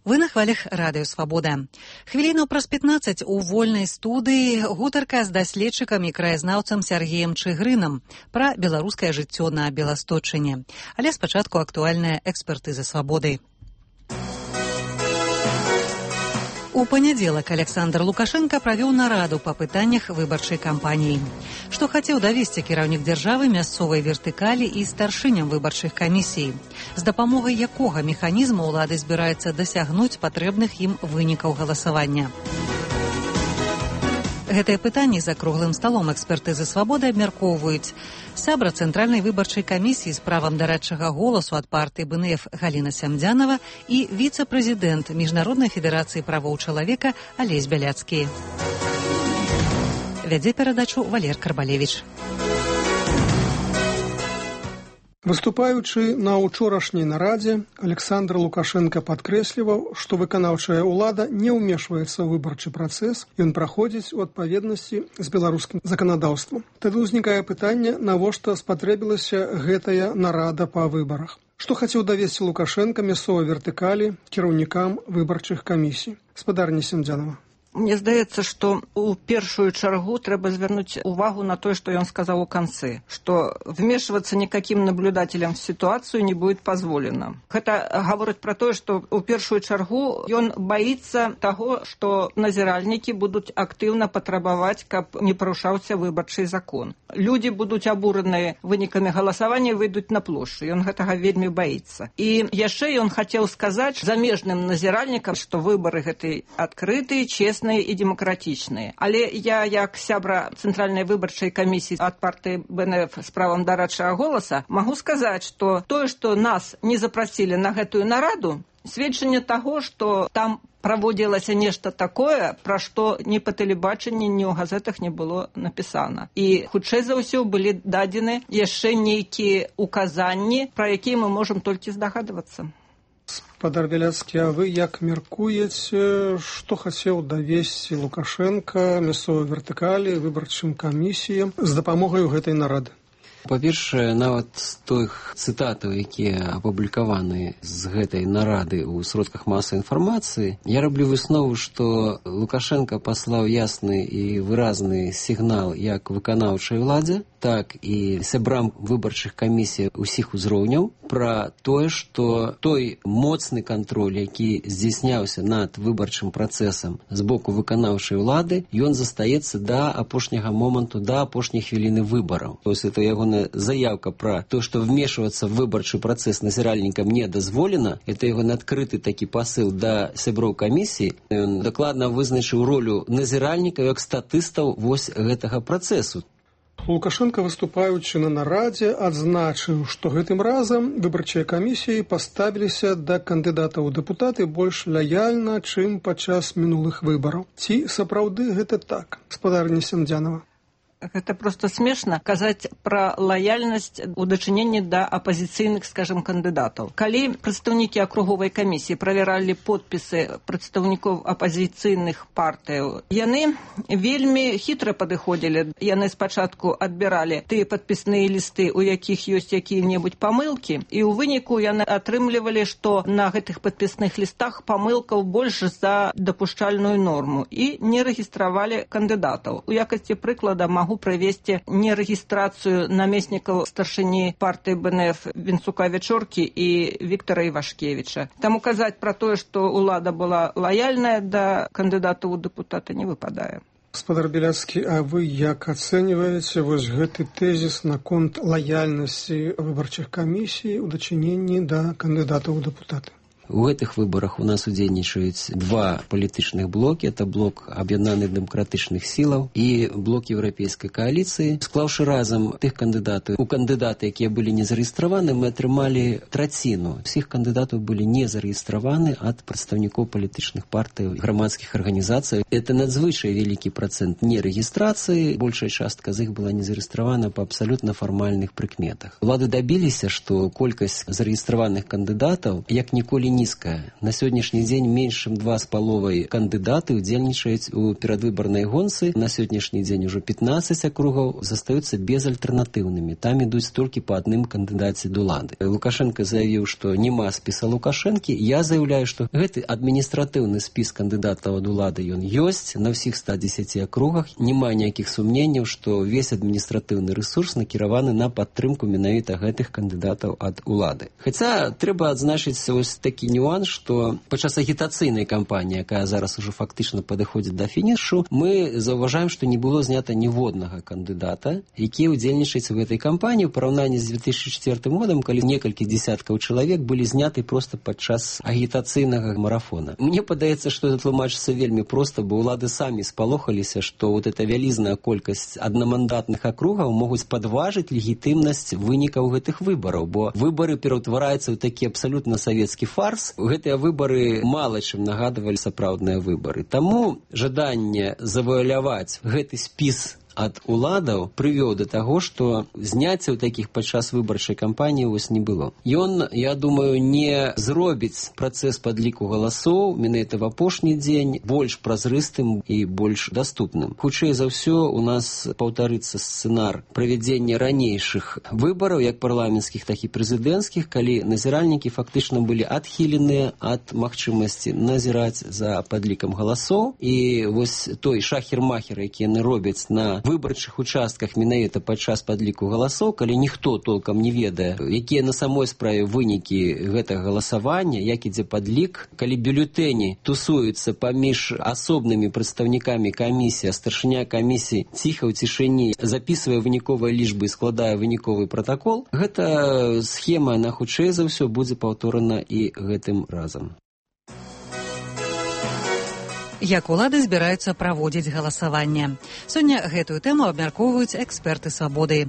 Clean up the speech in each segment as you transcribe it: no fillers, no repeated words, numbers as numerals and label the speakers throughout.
Speaker 1: Вы на хвалях радыё Свабода. Хвіліну праз 15 у вольнай студыі гутарка з даследчыкам і краязнаўцам Сяргеем Чыгрынам пра беларускае жыццё на Беласточыне. Але спачатку актуальная экспертыза Свабоды. У панядзелак Александр Лукашенко правёў нараду па пытаннях выбарчай кампаніі. Што хацеў давесці кіраўнік дзяржавы мясцовай вертыкалі і старшыням выбарчых камісій? З дапамогай якога механізму ўлады збіраецца дасягнуць патрэбных ім вынікаў галасавання? Гэтыя пытанні за круглым сталом экспертызы Свабоды абмяркоўваюць сябра Цэнтральнай выбарчай камісіі з правам дарадчага голасу ад партыі БНФ Галіна Сямдзянава і віцэ-прэзідэнт Міжнароднай федэрацыі правоў чалавека Алесь Бяляцкі. Вядзе перадачу Валер Карбалевіч.
Speaker 2: Выступаючы на учорашняй нарадзе, Александр Лукашенко падкрэсліваў, што выканаўчая ўлада не ўмешваецца ў выбарчы працэс, ён праходзіць у адпаведнасці з беларускім заканадаўствам. Тады ўзнікае пытанне, навошта спатрэбілася гэтая нарада па выбарах. Што хацеў давесці Лукашенко мясцовай вертыкалі кіраўнікам выбарчых камісій? Спадарня Сямдзянава.
Speaker 3: Мне здаецца, што ў першую чаргу трэба звярнуць увагу на тое, што ён сказаў у канцы, што вмешиваться никаким наблюдателям в ситуацию не будет позволено. Гэта гаворыць пра тое, што ў першую чаргу ён баіцца таго, што назіральнікі будуць актыўна патрабаваць, каб не парушаўся выбарчы закон. Людзі будуць абураныя вынікамі галасавання, выйдуць на плошчу. Ён гэтага вельмі баіцца. І яшчэ ён хацеў сказаць замежным назіральнікам, што выбары гэтыя адкрытыя, честныя і демократичныя. Але я, як сябра Цэнтральнай выбарчай камісіі ад партыі БНФ з правам дарадчага голаса, магу сказаць, што тое, што нас не запрасілі на гэтую нараду, сведчанне таго, што там праводзілася нешта такое, пра што ні па тэлебачанні, ні ў газетах не было напісана. І хутчэй за ўсё былі дадзены яшчэ нейкія указанні, пра якія мы можам толькі здагадвацца.
Speaker 2: Спадар Бяляцкі, а вы як меркуеце, што хацеў давесці Лукашенко мясцовай вертыкалі, выбарчым камісіям з дапамогай гэтай нарады?
Speaker 4: Па-першае, нават з тых цытатаў, якія апублікаваны з гэтай нарады ў сродках масавай інфармацыі, я раблю выснову, што Лукашенко паслаў ясны і выразны сігнал як выканаўчай уладзе, так і сябрам выбарчых камісій усіх узроўняў пра тое, што той моцны кантроль, які здзяйсняўся над выбарчым працэсам з боку выканаўчай улады, ён застаецца да апошняга моманту, да апошняй хвіліны выбараў. То есть это ягоная заявка пра то, што вмешвацца в выбарчы працэс назіральнікам не дазволена, это ягоны адкрыты такі пасыл да сяброў камісіі. Ён дакладна вызначыў ролю назіральнікаў як статыстаў вось гэтага працэсу.
Speaker 2: Лукашенко, выступаючы на нарадзе, адзначыў, што гэтым разам выбарчыя камісіі паставіліся да кандыдатаў у дэпутаты больш лаяльна, чым падчас мінулых выбараў. Ці сапраўды гэта так? Спадарня Сямдзянава.
Speaker 3: Гэта проста смешна казаць пра лаяльнасць у дачыненні да апазіцыйных, скажем, кандыдатаў. Калі прадстаўнікі акруговай камісіі правяралі подпісы прадстаўнікоў апазіцыйных партыяў, яны вельмі хітра падыходзілі. Яны спачатку адбіралі тыя падпісныя лісты, у якіх ёсць якія-небудзь памылкі, і ў выніку яны атрымлівалі, што на гэтых падпісных лістах памылкаў больш за дапушчальную норму і не рэгістравалі кандыдатаў. У якасці прыклада магу правесці нерэгістрацыю намеснікаў старшыні партыі БНФ Вінцука Вячоркі і Віктара Івашкевіча. Таму казаць пра тое, што ўлада была лаяльная да кандыдатаў у дэпутаты, не выпадае.
Speaker 2: Спадар Бяляцкі, а вы як ацэньваеце вось гэты тэзіс наконт лаяльнасці выбарчых камісій у дачыненні да кандыдатаў у дэпутаты?
Speaker 4: У гэтых выбарах у нас удзельнічаюць два палітычных блокі. Это блок аб'яднаных дэмакратычных сілаў і блок еўрапейскай кааліцыі. Склаўшы разам тых кандыдатаў, у кандыдаты, якія былі не зарэгістраваны, мы атрымалі траціну. Усіх кандыдатаў былі не зарэгістраваны ад прадстаўнікоў палітычных партый, грамадскіх арганізацый. Это надзвычай вялікі працэнт нерэгістрацыі. Большая частка з іх была не зарэгістравана па абсалютна фармальных прыкметах. Улады дабіліся, што колькасць зарэгістраваных кандыдатаў як ніколі нізкая. На сённяшні дзень менш чым 2,5 кандыдаты удзельнічаюць у перадвыбарнай гонцы. На сённяшні дзень ужо 15 акругаў застаюцца безальтэрнатыўнымі. Там ідуць толькі па адным кандыдаце d'улады. Лукашенко заявіў, што няма спіса Лукашэнкі. Я заяўляю, што гэты адміністратыўны спіс кандыдатаў d'улады ён ёсць на ўсіх 110 акругах. Няма ніякіх сумненняў, што весь адміністратыўны рэсурс накіраваны на падтрымку менавіта гэтых кандыдатаў ад улады. Хаця трэба адзначыць ось такі нюанс, што падчас агітацыйнай кампаніі, якая зараз ужо фактычна падыходзіць да фінішу, мы заўважаем, што не было знята ніводнага кандыдата, які ўдзельнічаюць у гэтай кампаніі ў параўнанні з 2004 годам, калі некалькі дзесяткаў чалавек былі зняты проста падчас агітацыйнага марафона. Мне падаецца, што это тлумачыцца вельмі проста, бо ўлады самі спалохаліся, што вот эта вялізная колькасць аднамандатных акругаў могуць падважыць легітымнасць вынікаў гэтых выбараў, бо выбары пераўтвараюцца ў такі абсалютна савецкі фарс. Гэтыя выбары мала чым нагадвалі сапраўдныя выбары. Таму жаданне завуаляваць гэты спіс ад уладаў прывёў да таго, што зняццяў такіх падчас выбарчай кампаніі вось не было. Ён, я думаю, не зробіць працэс падліку галасоў менавіта в апошні дзень больш празрыстым і больш даступным. Хутчэй за ўсё у нас паўтарыцца сцэнар правядзення ранейшых выбараў, як парламенцкіх, так і прэзідэнцкіх, калі назіральнікі фактычна былі адхіленыя ад магчымасці назіраць за падлікам галасоў. І вось той шахер-махер, які яны робяць на выбарчых участках менавіта падчас падліку галасоў, калі ніхто толкам не ведае, якія на самой справе вынікі гэтага галасавання, як ідзе падлік, калі бюлетэні тусуюцца паміж асобнымі прадстаўнікамі камісіі, а старшыня камісіі ціха ў цішыні запісвае выніковыя лічбы і складае выніковы пратакол, гэта схема, на хутчэй за ўсё будзе паўторана і гэтым разам.
Speaker 1: Як улады збіраюцца праводзіць галасаванне. Сёння гэтую тэму абмяркоўваюць эксперты «Свабоды».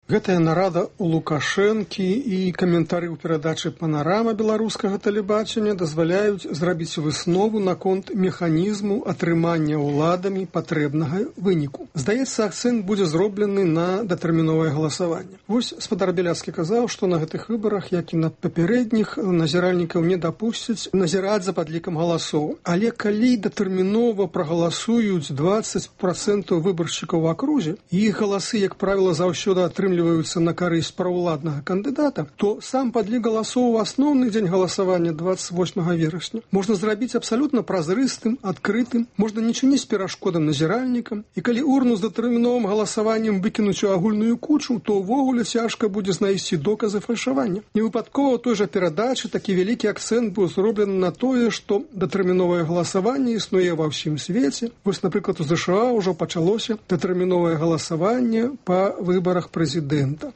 Speaker 2: Гэтая нарада у Лукашэнкі і каментары ў перадачы «Панарама» беларускага тэлебачання дазваляюць зрабіць выснову наконт механізму атрымання ўладамі патрэбнага выніку. Здаецца, акцэнт будзе зроблены на датэрміновае галасаванне. Вось спадар Беляцкі казаў, што на гэтых выбарах, як і на папярэдніх, назіральнікаў не дапусцяць назіраць за падлікам галасоў. Але калі датэрмінова прагаласуюць 20% выбаршчыкаў у акрузе, і іх галасы, як правіла, заўсёды атрымліваюцца на карысць праўладнага кандыдата, то сам падлік галасоў у асноўны дзень галасавання 28 верасня можна зрабіць абсалютна празрыстым, адкрытым, можна не чыніць перашкодам назіральнікам, і калі урну з датэрміновым галасаваннем выкінуць у агульную кучу, то ўвогуле цяжка будзе знайсці доказы фальшавання. Невыпадкова той жа перадачы такі вялікі акцэнт быў зроблены на тое, што датэрміновае галасаванне існуе ва ўсім свеце. Вось, напрыклад, у ЗША ўжо пачалося датэрміновае галасаванне па выбарах прэзідэнта.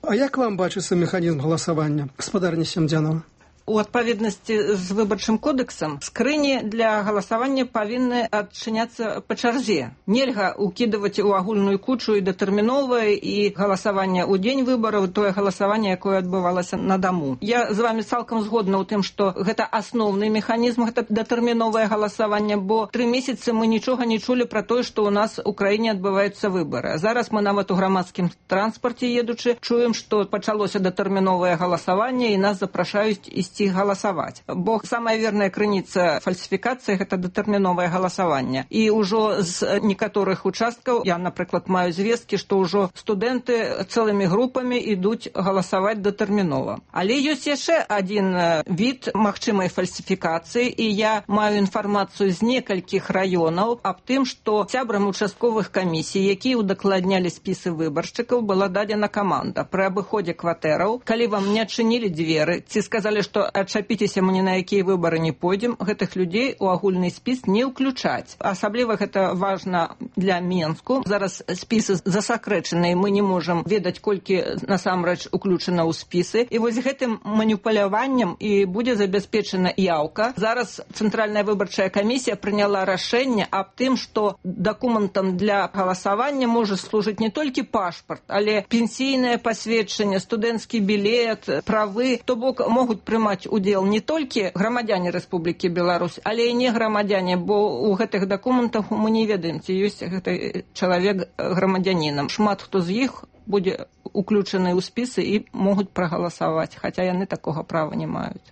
Speaker 2: А як вам бачыцца механізм галасавання, гаспадарня Сямдзянова?
Speaker 3: У адпаведнасці з выбарчым кодэксам скрыні для галасавання павінны адчыняцца па чарзе. Нельга ўкідваць у агульную кучу і датэрміновае, і галасаванне ў дзень выбараў, тое галасаванне, якое адбывалася на даму. Я з вами цалкам згодна ў тым, што гэта асноўны механізм, гэта датэрміновае галасаванне, бо 3 месяцы мы нічога не чулі пра тое, што ў нас у краіне адбываюцца выбары. Зараз мы нават у грамадскім транспарце едучы чуем, што пачалося датэрміновае галасаванне і нас запрашаюць ісці галасаваць. Бо самая верная крыніца фальсіфікацыі – гэта датэрміновае галасаванне. І ўжо з некаторых участкаў, я, напрыклад, маю звесткі, што ўжо студэнты цэлымі групамі ідуць галасаваць датэрмінова. Але ёсць яшчэ адзін від магчымай фальсіфікацыі, і я маю інфармацыю з некалькіх раёнаў аб тым, што сябрам участковых камісій, якія удакладнялі спісы выбаршчыкаў, была дадзена каманда пры абыходзе кватэраў. Калі вам не адчынілі дзверы, ці сказалі, што адчапіцеся, мы ні на якія выбары не пойдзем, гэтых людзей у агульны спіс не ўключаць. Асабліва гэта важна для Менску. Зараз спісы засакрэчаныя, мы не можам ведаць, колькі насамрэч уключана ў спісы. І вось гэтым маніпуляваннем і будзе забяспечана яўка. Зараз Цэнтральная выбарчая камісія прыняла рашэнне аб тым, што дакументам для галасавання можа служыць не толькі пашпарт, але пенсійнае пасведчанне, студэнцкі білет, правы. То бок могуць прымаць удзел не толькі грамадзяне Рэспублікі Беларусь, але і не грамадзяне, бо ў гэтых дакументах мы не ведаем, ці ёсць гэты чалавек грамадзянінам. Шмат хто з іх будзе уключаныя ў спісы і могуць прагаласаваць, хаця яны такога права не маюць.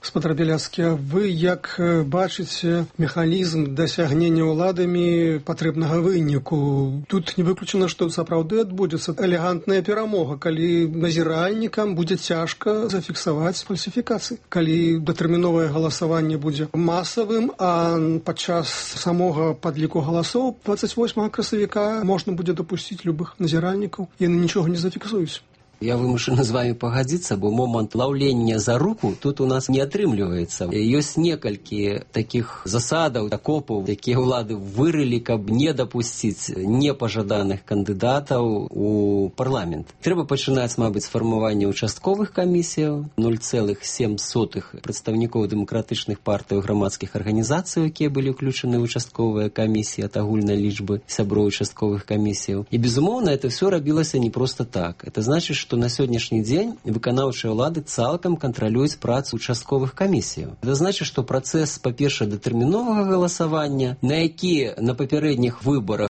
Speaker 2: Гаспадар Беляцкі, вы як бачыце механізм дасягнення ўладамі патрэбнага выніку? Тут не выключана, што сапраўды адбудзецца элегантная перамога, калі назіральнікам будзе цяжка зафіксаваць фальсіфікацыі. Калі датэрміновае галасаванне будзе масавым, а падчас самога падліку галасоў 28 красавіка можна будзе дапусціць любых назіральнікаў, яны нічога не зафіксуюць.
Speaker 4: Я вымушаны з вами пагадзіцца, бо момант лаўлення за руку тут у нас не атрымліваецца. Ёсць некалькі такіх засадаў, акопаў, якія ўлады вырылі, каб не дапусціць непажаданых кандыдатаў у парламент. Трэба пачынаць, мабыць, з фармавання участковых камісіяў, 0,7 прадстаўнікоў дэмакратычных партый і грамадскіх арганізацый, якія былі ўключаны ў участковыя камісіі ад агульнай лічбы сяброў участковых камісіяў. І, безумоўна, это все рабілася не проста так. Это значит, што на сённяшні дзень выканаўчыя ўлады цалкам кантралююць працу участковых камісіяў. Гэта значыць, што працэс, па-першае, датэрміновага галасавання, на які на папярэдніх выбарах